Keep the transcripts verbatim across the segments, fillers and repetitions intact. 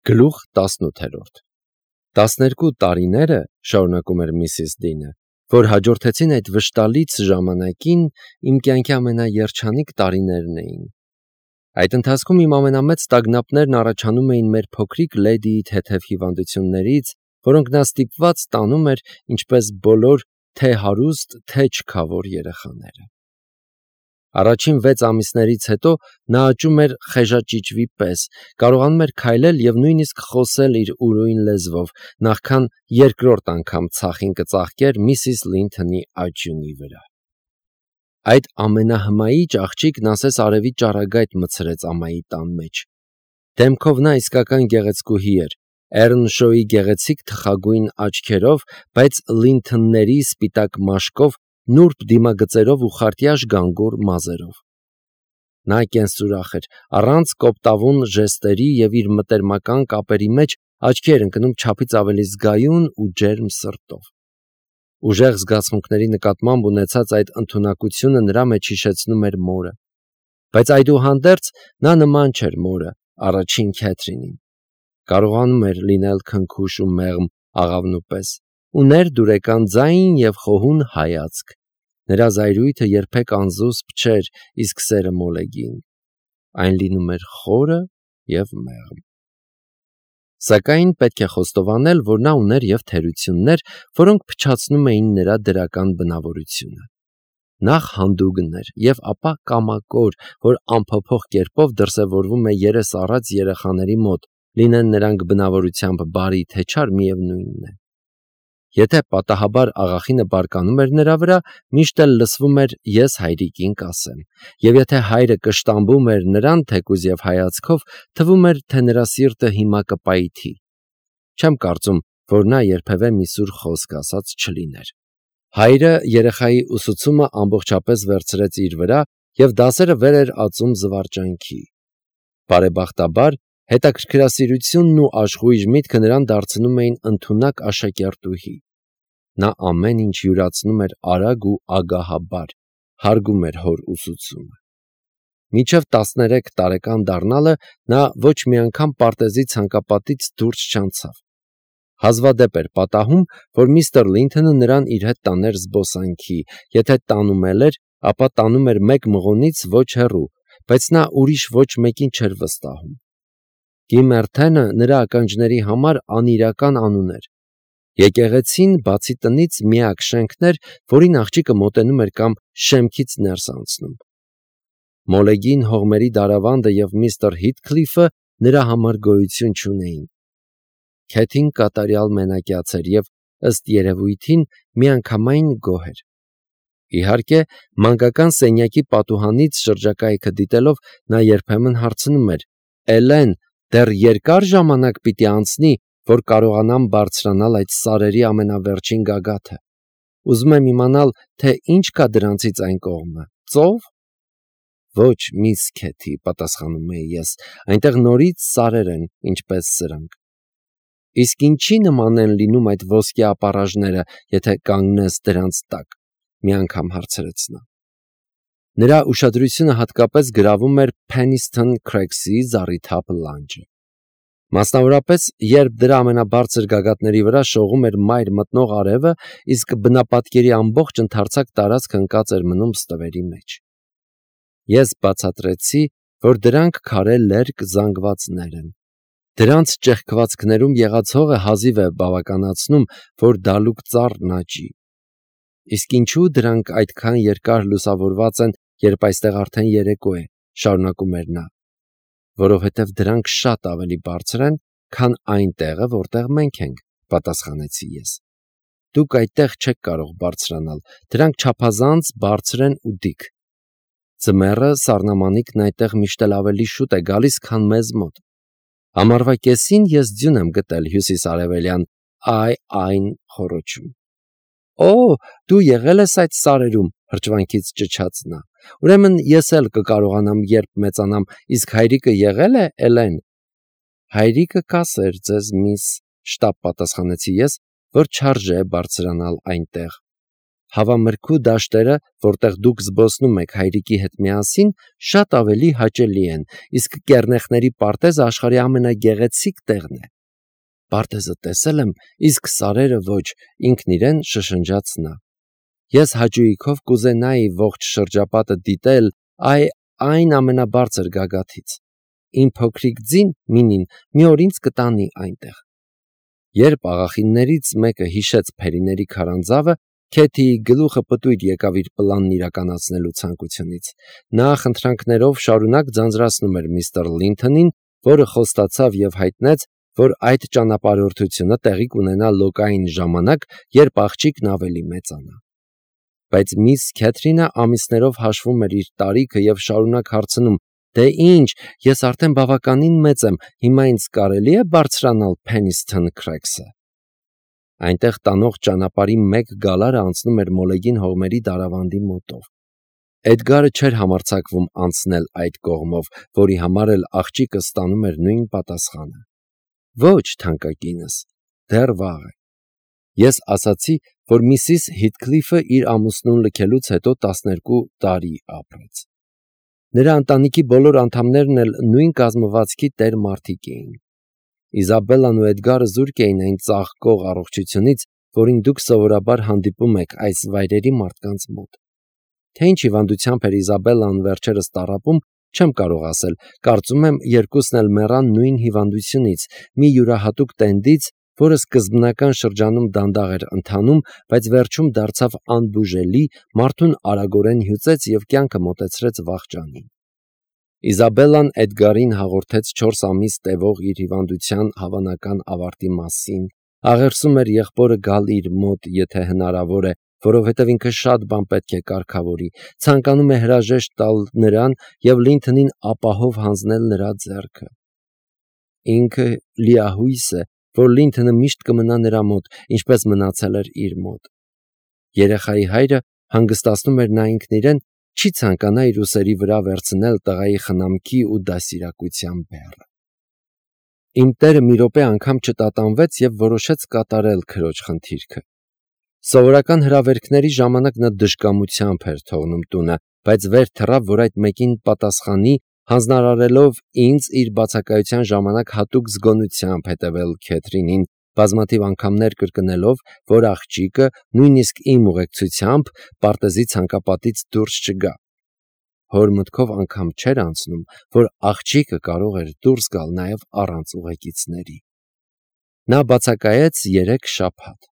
Գլուխ տասնութ. Տասներկու տարիները, շարունակում էր միսիս Դինը, որ հաջորդեցին այդ վշտալից ժամանակին, իմ կյանքի ամենաերջանիկ տարիներն էին։ Այդ ընթացքում իմ ամենամեծ տագնապներն առաջանում էին մեր փոքրիկ լեդիի թեթև հիվանդություններից, որոնք նա ստիպված տանում էր, ինչպես բոլոր թե հարուստ, թե չքավոր երեխաները։ Առաջին վեց ամիսներից հետո նա աճում էր խեժաճիճվի պես, կարողանում էր քայլել և նույնիսկ խոսել իր ուրույն լեզվով, նախքան երկրորդ անգամ ցախին կծաղկեր միսիս Լինթոնի աճյունի վրա։ Այդ ամենահմայիչ աղջիկն ասես արևի ճառագայթ մտցրեց ամայի տան մեջ։ Դեմքով նա իսկական գեղեցկուհի էր, Էռնշոյի գեղեցիկ թխագույն աչքերով, բայց Լինթոնների սպիտակ մաշկով, նուրբ դիմագծերով ու խարտյաշ գանգուր մազերով։ Նա կենսուրախ էր, առանց կոպտավուն ժեստերի և իր մտերմական կապերի մեջ աչքի էր ընկնում չափից ավելի զգայուն ու ջերմ սրտով։ Ուժեղ զգացմունքների նկատմամբ ունեցած այդ ընդունակությունը նրա մեջ հիշեցնում էր մորը։ Բայց այդուհանդերձ նա նման չէր մորը, առաջին Քեթրինին։ Կարողանում էր լինել քնքուշ ու մեղմ աղավնու պես, ուներ դուրեկան ձայն և խոհուն հայացք։ Նրա զայրույթը երբեք անզուսպ չէր, իսկ սերը մոլեգին։ Այն լինում էր խորը և մեղմ։ Սակայն պետք է խոստովանել, որ նա ուներ և թերություններ, որոնք փչացնում էին նրա դրական բնավորությունը։ Նախ հանդուգն էր և ապա կամակոր, որ անփոփոխ կերպով դրսևորվում է երես առած երեխաների մոտ, լինեն նրանք բնավորությամբ բարի թե չար, միևնույնն է։ Եթե պատահաբար աղախինը բարկանում էր նրա վրա, միշտ էլ լսվում էր «ես հայրիկին կասեմ», և եթե հայրը կշտամբում էր նրան թեկուզ և հայացքով, թվում էր, թե նրա սիրտը հիմա կպայթի։ Չեմ կարծում, որ նա երբևէ մի սուր խոսք ասած չլիներ։ Հայրը երեխայի ուսուցումը ամբողջապես վերցրեց իր վրա և դասերը վեր էր ածում զվարճանքի։ Բարեբախտաբար, հետաքրքրասիրությունն ու աշխույժ միտքը նրան դարձնում էին ընդունակ աշակերտուհի։ Նա ամեն ինչ յուրացնում էր արագ ու ագահաբար, հարգում էր հոր ուսուցումը։ Մինչև տասներեք տարեկան դառնալը նա ոչ մի անգամ պարտեզի ցանկապատից դուրս չանցավ։ Հազվադեպ էր պատահում, որ միստր Լինթոնը նրան իր հետ տաներ զբոսանքի, եթե տանում էլ էր, ապա տանում էր մեկ մղոնից ոչ հեռու, բայց նա ուրիշ ոչ մեկին չէր վստահում։ Գիմերթենը նրա ականջների համար անիրական անուն էր։ Եկեղեցին, բացի տնից, միակ շենքն էր, որին աղջիկը մոտենում էր կամ շեմքից ներս անցնում։ Մոլեգին, հողմերի դարավանդը և միստր Հիթքլիֆը նրա համար գոյություն չունեին։ Քեթին կատարյալ մենակյաց էր և, ըստ երևույթին, միանգամայն գոհ էր։ Իհարկե, մանկական սենյակի պատուհանից շրջակայքը դիտելով նա երբեմն հարցնում էր. «Էլեն, դեռ երկա՞ր ժամանակ պիտի անցնի, որ կարողանամ բարձրանալ այդ սարերի ամենավերջին գագաթը։ Ուզում եմ իմանալ, թե ինչ կա դրանցից այն կողմը, ծո՞վ»։ «Ոչ, միս Քեթի», պատասխանում էի ես, այնտեղ նորից սարեր են, ինչպես սրանք։ «Իսկ ինչի նման են լինում այդ ոսկե ապառաժները, եթե կանգնես դրանց տակ», մի անգամ հարցրեց նա։ Նրա ուշադրությունը հատկապես գրավում էր Փենիսթոն Քրեքսի զառիթափ լանջը։ Մասնավորապես, երբ դրա ամենաբարձր գագաթների վրա շողում էր մայր մտնող արևը, իսկ բնապատկերի ամբողջ ընդարձակ տարածքը ընկած էր մնում ստվերի մեջ։ Ես բացատրեցի, որ դրանք քարե լերկ զանգվածներ են։ Դրանց ճեղքվածքներում եղած հողը հազիվ է բավականացնում, որ դալուկ ծառն աճի։ Իսկ ինչու դրանք այդքան երկար լուսավորված են, երբ այստեղ արդեն երեկո է, շարունակում էր նա։ Որովհետև դրանք շատ ավելի բարձր են, քան այն տեղը, որտեղ մենք ենք, պատասխանեցի ես։ Դուք այդտեղ չեք կարող բարձրանալ, դրանք չափազանց բարձր են ու դիք։ Ձմեռը սառնամանիքն այդտեղ միշտ էլ ավելի շուտ է գալիս, քան մեզ մոտ։ Ամառվա կեսին ես ձյուն եմ գտել հյուսիսարևելյան այ այն խոռոչում։ Օ, դու եղել ես այդ սարերում, հրճվանքից ճչաց նա։ Ուրեմն ես էլ կկարողանամ, երբ մեծանամ, իսկ հայրիկը եղե՞լ է, Էլեն։ Հայրիկը կասեր ձեզ, միս, շտապ պատասխանեցի ես, որ չարժե բարձրանալ այնտեղ։ հավամրգու դաշտերը, որտեղ դուք զբոսնում եք հայրիկի հետ միասին, շատ ավելի հաճելի են, իսկ կեռնեխների պարտեզը աշխարհի ամենագեղեցիկ տեղն է։ Պարտեզը տեսել եմ, իսկ սարերը ոչ, ինքն իրեն շշնջաց նա։ Ես հաճույքով կուզենայի ողջ շրջապատը դիտել այ այն ամենաբարձր գագաթից։ Իմ փոքրիկ ձին Մինին մի օր ինձ կտանի այնտեղ։ Երբ աղախիններից մեկը հիշեց Փերիների քարանձավը, Քեթիի գլուխը պտույտ եկավ իր պլանն իրականացնելու ցանկությունից։ Նա խնդրանքներով շարունակ ձանձրացնում էր միստր Լինթոնին, որը խոստացավ եւ հայտնեց, որ այդ ճանապարհորդությունը տեղի կունենա լոկային ժամանակ, երբ աղջիկն ավելի մեծանա։ Բայց միս Քեթրինը ամիսներով հաշվում էր իր տարիքը եւ շարունակ հարցնում. «Դե ինչ, ես արդեն բավականին մեծ եմ, հիմա ինձ կարելի է բարձրանալ Փենիսթոն Քրեքսը»։ Այնտեղ տանող ճանապարհի մեկ գալարը անցնում էր Մոլեգին հողմերի դարավանդի մոտով։ Էդգարը չէր համարձակվում անցնել այդ կողմով, որի համար էլ աղջիկը ստանում էր նույն պատասխանը. «Ոչ, թանկագինս, դեռ վաղ է»։ Ես ասացի, որ միսիս Հիթքլիֆը իր ամուսնուն լքելուց հետո տասներկու տարի ապրեց։ Նրա ընտանիքի բոլոր անդամներն էլ նույն կազմվածքի տեր մարդիկ էին։ Իզաբելլան ու Էդգարը զուրկ էին այն ծաղկող առողջությունից, որին դուք սովորաբար հանդիպում եք այս վայրերի մարդկանց մոտ։ Թե ինչ հիվանդությամբ էր Իզաբելլան վերջերս տառապում, չեմ կարող ասել, կարծում եմ երկուսն էլ մեռան նույն հիվանդությունից, մի յուրահատուկ տենդից, որը սկզբնական շրջանում դանդաղ էր ընթանում, բայց վերջում դարձավ անբուժելի, մարդուն արագորեն հյուծեց և կյանքը մոտեցրեց վախճանին։ Իզաբելլան Էդգարին հաղորդեց չորս ամիս տևող իր հիվանդության հավանական ավարտի մասին, աղերսում էր եղբորը գալ իր մոտ, եթե հնարավոր է, որովհետև ինքը շատ բան պետք է կարգավորի, ցանկանում է հրաժեշտ տալ նրան և Լինթոնին ապահով հանձնել նրա ձեռքը։ Ինքը լիահույս է, որ Լինթոնը միշտ կմնա նրա մոտ, ինչպես մնացել էր իր մոտ։ Երեխայի հայրը հանգստացնում էր նա ինքն իրեն, չի ցանկանա իր ուսերի վրա վերցնել տղայի խնամքի ու դաստիարակության բեռը։ Իմ տերը մի րոպե անգամ չտատանվեց և որոշեց կատարել քրոջ խնդիրքը։ Սովորական հրավերքների ժամանակ նա դժկամությամբ էր թողնում տունը, բայց վեր թռավ, որ այդ մեկին պատասխանի, հանձնարարելով ինձ իր բացակայության ժամանակ հատուկ զգոնությամբ հետևել Քեթրինին, բազմաթիվ անգամներ կրկնելով, որ աղջիկը, նույնիսկ իմ ուղեկցությամբ, պարտեզի ցանկապատից դուրս չգա։ Հոր մտքով անգամ չէր անցնում, որ աղջիկը կարող էր դուրս գալ նաև առանց ուղեկիցների։ Նա բացակայեց երեք շաբաթ։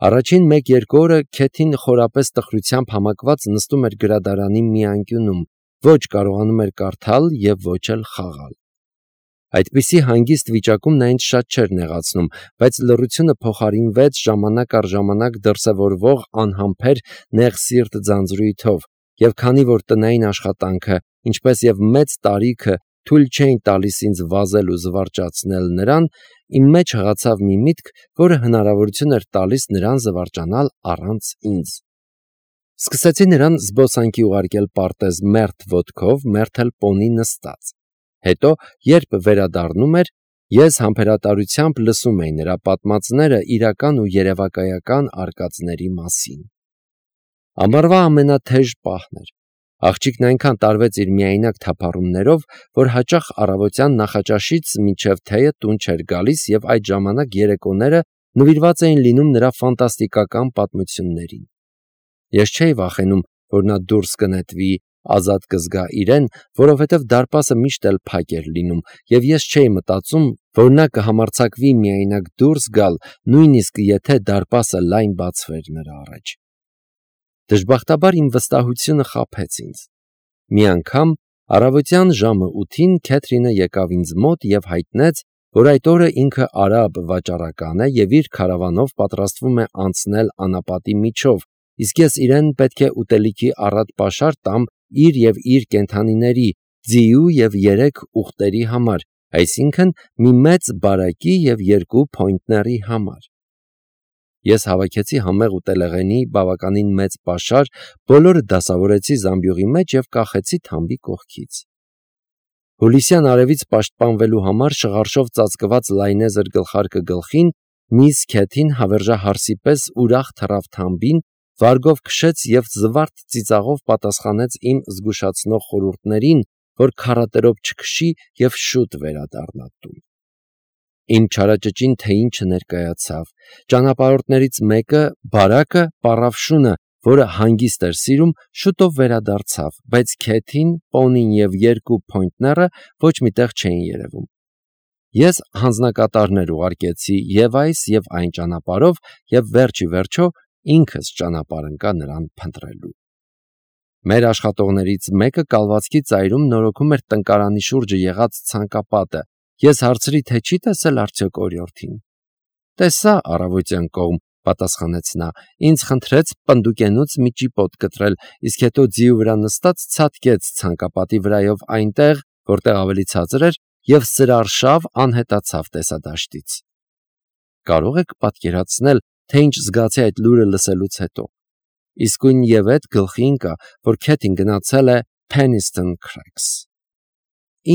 Առաջին մեկ-երկու օրը Քեթին խորապես տխրությամբ համակված նստում էր գրադարանի մի անկյունում, ոչ կարողանում էր կարդալ և ոչ էլ խաղալ։ Այդպիսի հանգիստ վիճակում նա ինձ շատ չէր նեղացնում, բայց լռությունը փոխարինվեց ժամանակ առ ժամանակ դրսևորվող անհամբեր նեղսիրտ ձանձրույթով, և քանի որ տնային աշխատանքը, ինչպես և մեծ տարիքը թույլ չէին տալիս ինձ վազել ու զվարճացնել նրան, իմ մեջ հղացավ մի միտք, որը հնարավորություն էր տալիս նրան զվարճանալ առանց ինձ։ Սկսեցի նրան զբոսանքի ուղարկել պարտեզ մերթ ոտքով, մերթ էլ պոնի նստած։ Հետո, երբ վերադառնում էր, ես համբերատարությամբ լսում էի նրա պատմածները իրական ու երևակայական արկածների մասին։ Ամառվա ամենաթեժ պահն էր։ Աղջիկն այնքան տարվեց իր միայնակ թափառումներով, որ հաճախ առավոտյան նախաճաշից մինչև թեյը տուն չէր գալիս և այդ ժամանակ երեկոները նվիրված էին լինում նրա ֆանտաստիկական պատմություններին։ Ես չէի վախենում, որ նա դուրս կնետվի, ազատ կզգա իրեն, որովհետև դարպասը միշտ էլ փակ էր լինում, և ես չէի մտածում, որ նա կհամարձակվի միայնակ դուրս գալ, նույնիսկ եթե դարպասը լայն բացվեր նրա առաջ։ Դժբախտաբար իմ վստահությունը խաբեց ինձ։ Մի անգամ առավոտյան ժամը ութին Քեթրինը եկավ ինձ մոտ և հայտնեց, որ այդ օրը ինքը արաբ վաճառական է և իր քարավանով պատրաստվում է անցնել անապատի միջով, իսկ ես իրեն պետք է ուտելիքի առատ պաշար տամ իր և իր կենդանիների, ձիու և երեք ուղտերի համար, այսինքն մի մեծ բարակի և երկու փոյնտների համար։ Ես հավաքեցի համեղ ուտելեղենի բավականին մեծ պաշար, բոլորը դասավորեցի զամբյուղի մեջ և կախեցի թամբի կողքից։ Հուլիսյան արևից պաշտպանվելու համար շղարշով ծածկված լայնեզր գլխարկը գլխին, միս Քեթին հավերժահարսի պես ուրախ թռավ թամբին, վարգով քշեց և զվարթ ծիծաղով պատասխանեց իմ զգուշացնող խորհուրդներին, որ քարատերով չքշի և շուտ վերադառնա տուն։ Իմ չարաճճին թե ինչը ներկայացավ։ Ճանապարհորդներից մեկը, բարակը, պառավ շունը, որը հանգիստ էր սիրում, շուտով վերադարձավ, բայց Քեթին, պոնին և երկու փոյնթները ոչ մի տեղ չէին երևում։ Ես հանձնակատարներ ուղարկեցի և այս և այն ճանապարհով և վերջ ի վերջո ինքս ճանապարհ ընկա նրան փնտրելու։ Մեր աշխատողներից մեկը կալվածքի ծայրում նորոգում էր տնկարանի շուրջը եղած ցանկապատը։ Ես հարցրի, թե չի տեսել արդյոք օրիորդին։ Տեսա առավոտյան կողմ, պատասխանեց նա, ինձ խնդրեց պնդուկենուց մի ճիպոտ կտրել, իսկ հետո ձիու վրա նստած ցատկեց ցանկապատի վրայով այնտեղ, որտեղ ավելի ցածր էր, և սրարշավ անհետացավ տեսադաշտից։ Կարող եք պատկերացնել, թե ինչ զգացի այդ լուրը լսելուց հետո։ Իսկույն և էդ գլխի ընկա, որ Քեթին գնացել է Penistone Cracks։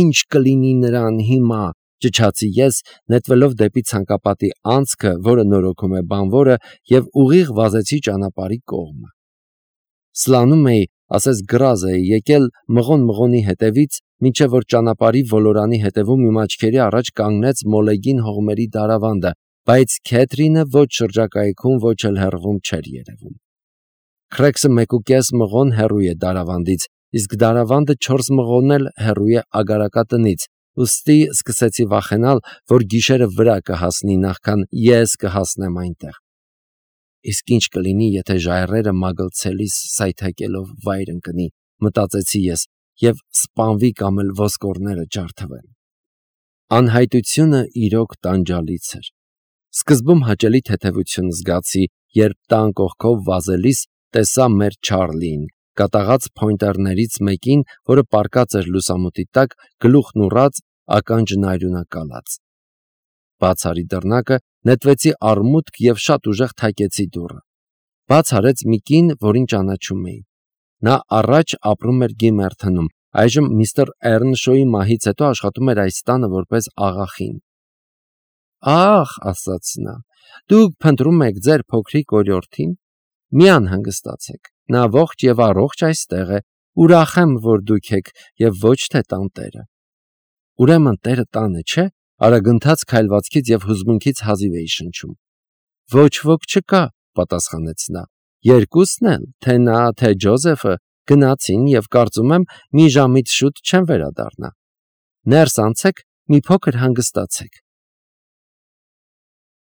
Ինչ կլինի նրան հիմա, ճչացի ես, նետվելով դեպի ցանկապատի անցքը, որը նորոգում է բանվորը, և ուղիղ վազեցի ճանապարհի կողմը։ Սլանում էի, ասես գրազ էի եկել մղոն-մղոնի հետևից, մինչև որ ճանապարհի ոլորանի հետևում իմ աչքերի առաջ կանգնեց մոլեգին հողմերի դարավանդը, բայց Քեթրինը ոչ շրջակայքում, ոչ էլ հեռվում չէր երևում։ Քրեքսը մեկուկես մղոն հեռու է դարավանդից, իսկ դարավանդը չորս մղոն էլ հեռու է ագարակատնից, ուստի սկսեցի վախենալ, որ գիշերը վրա կհասնի, նախքան ես կհասնեմ այնտեղ։ Իսկ ինչ կլինի, եթե ժայռերը մագլցելիս սայթաքելով վայր ընկնի, մտածեցի ես, և սպանվի կամ էլ ոսկորները ջարդվեն։ Անհայտությունը իրոք տանջալից էր։ Սկզբում հաճելի թեթևություն զգացի, երբ տան կողքով վազելիս տեսա մեր Չարլիին, կատաղած փոյնտերներից մեկին, որը պառկած էր լուսամուտի տակ, գլուխն ուռած, ականջն արյունակալած։ Բաց արի դռնակը, նետվեցի առմուտք և շատ ուժեղ թակեցի դուռը։ Բաց արեց մի կին, որին ճանաչում էի։ Նա առաջ ապրում էր Գիմերթնում, այժմ միստր Էռնշոյի մահից հետո աշխատում էր այս տանը որպես աղախին։ «Ա՜խ», ասաց նա, «դուք փնտրում եք ձեր փոքրիկ օրիորդին։ Մի անհանգստացեք, նա ողջ և առողջ այստեղ է, ուրախ եմ, որ դուք եք և ոչ թե տանտերը»։ Ուրեմն տերը տանը չէ, արագընթաց քայլվածքից և հուզմունքից հազիվ էի շնչում։ Ոչ ոք չկա, պատասխանեց նա։ Երկուսն էլ, թե նա, թե Ջոզեֆը, գնացին և կարծում եմ մի ժամից շուտ չեն վերադառնա։ Ներս անցեք, մի փոքր հանգստացեք։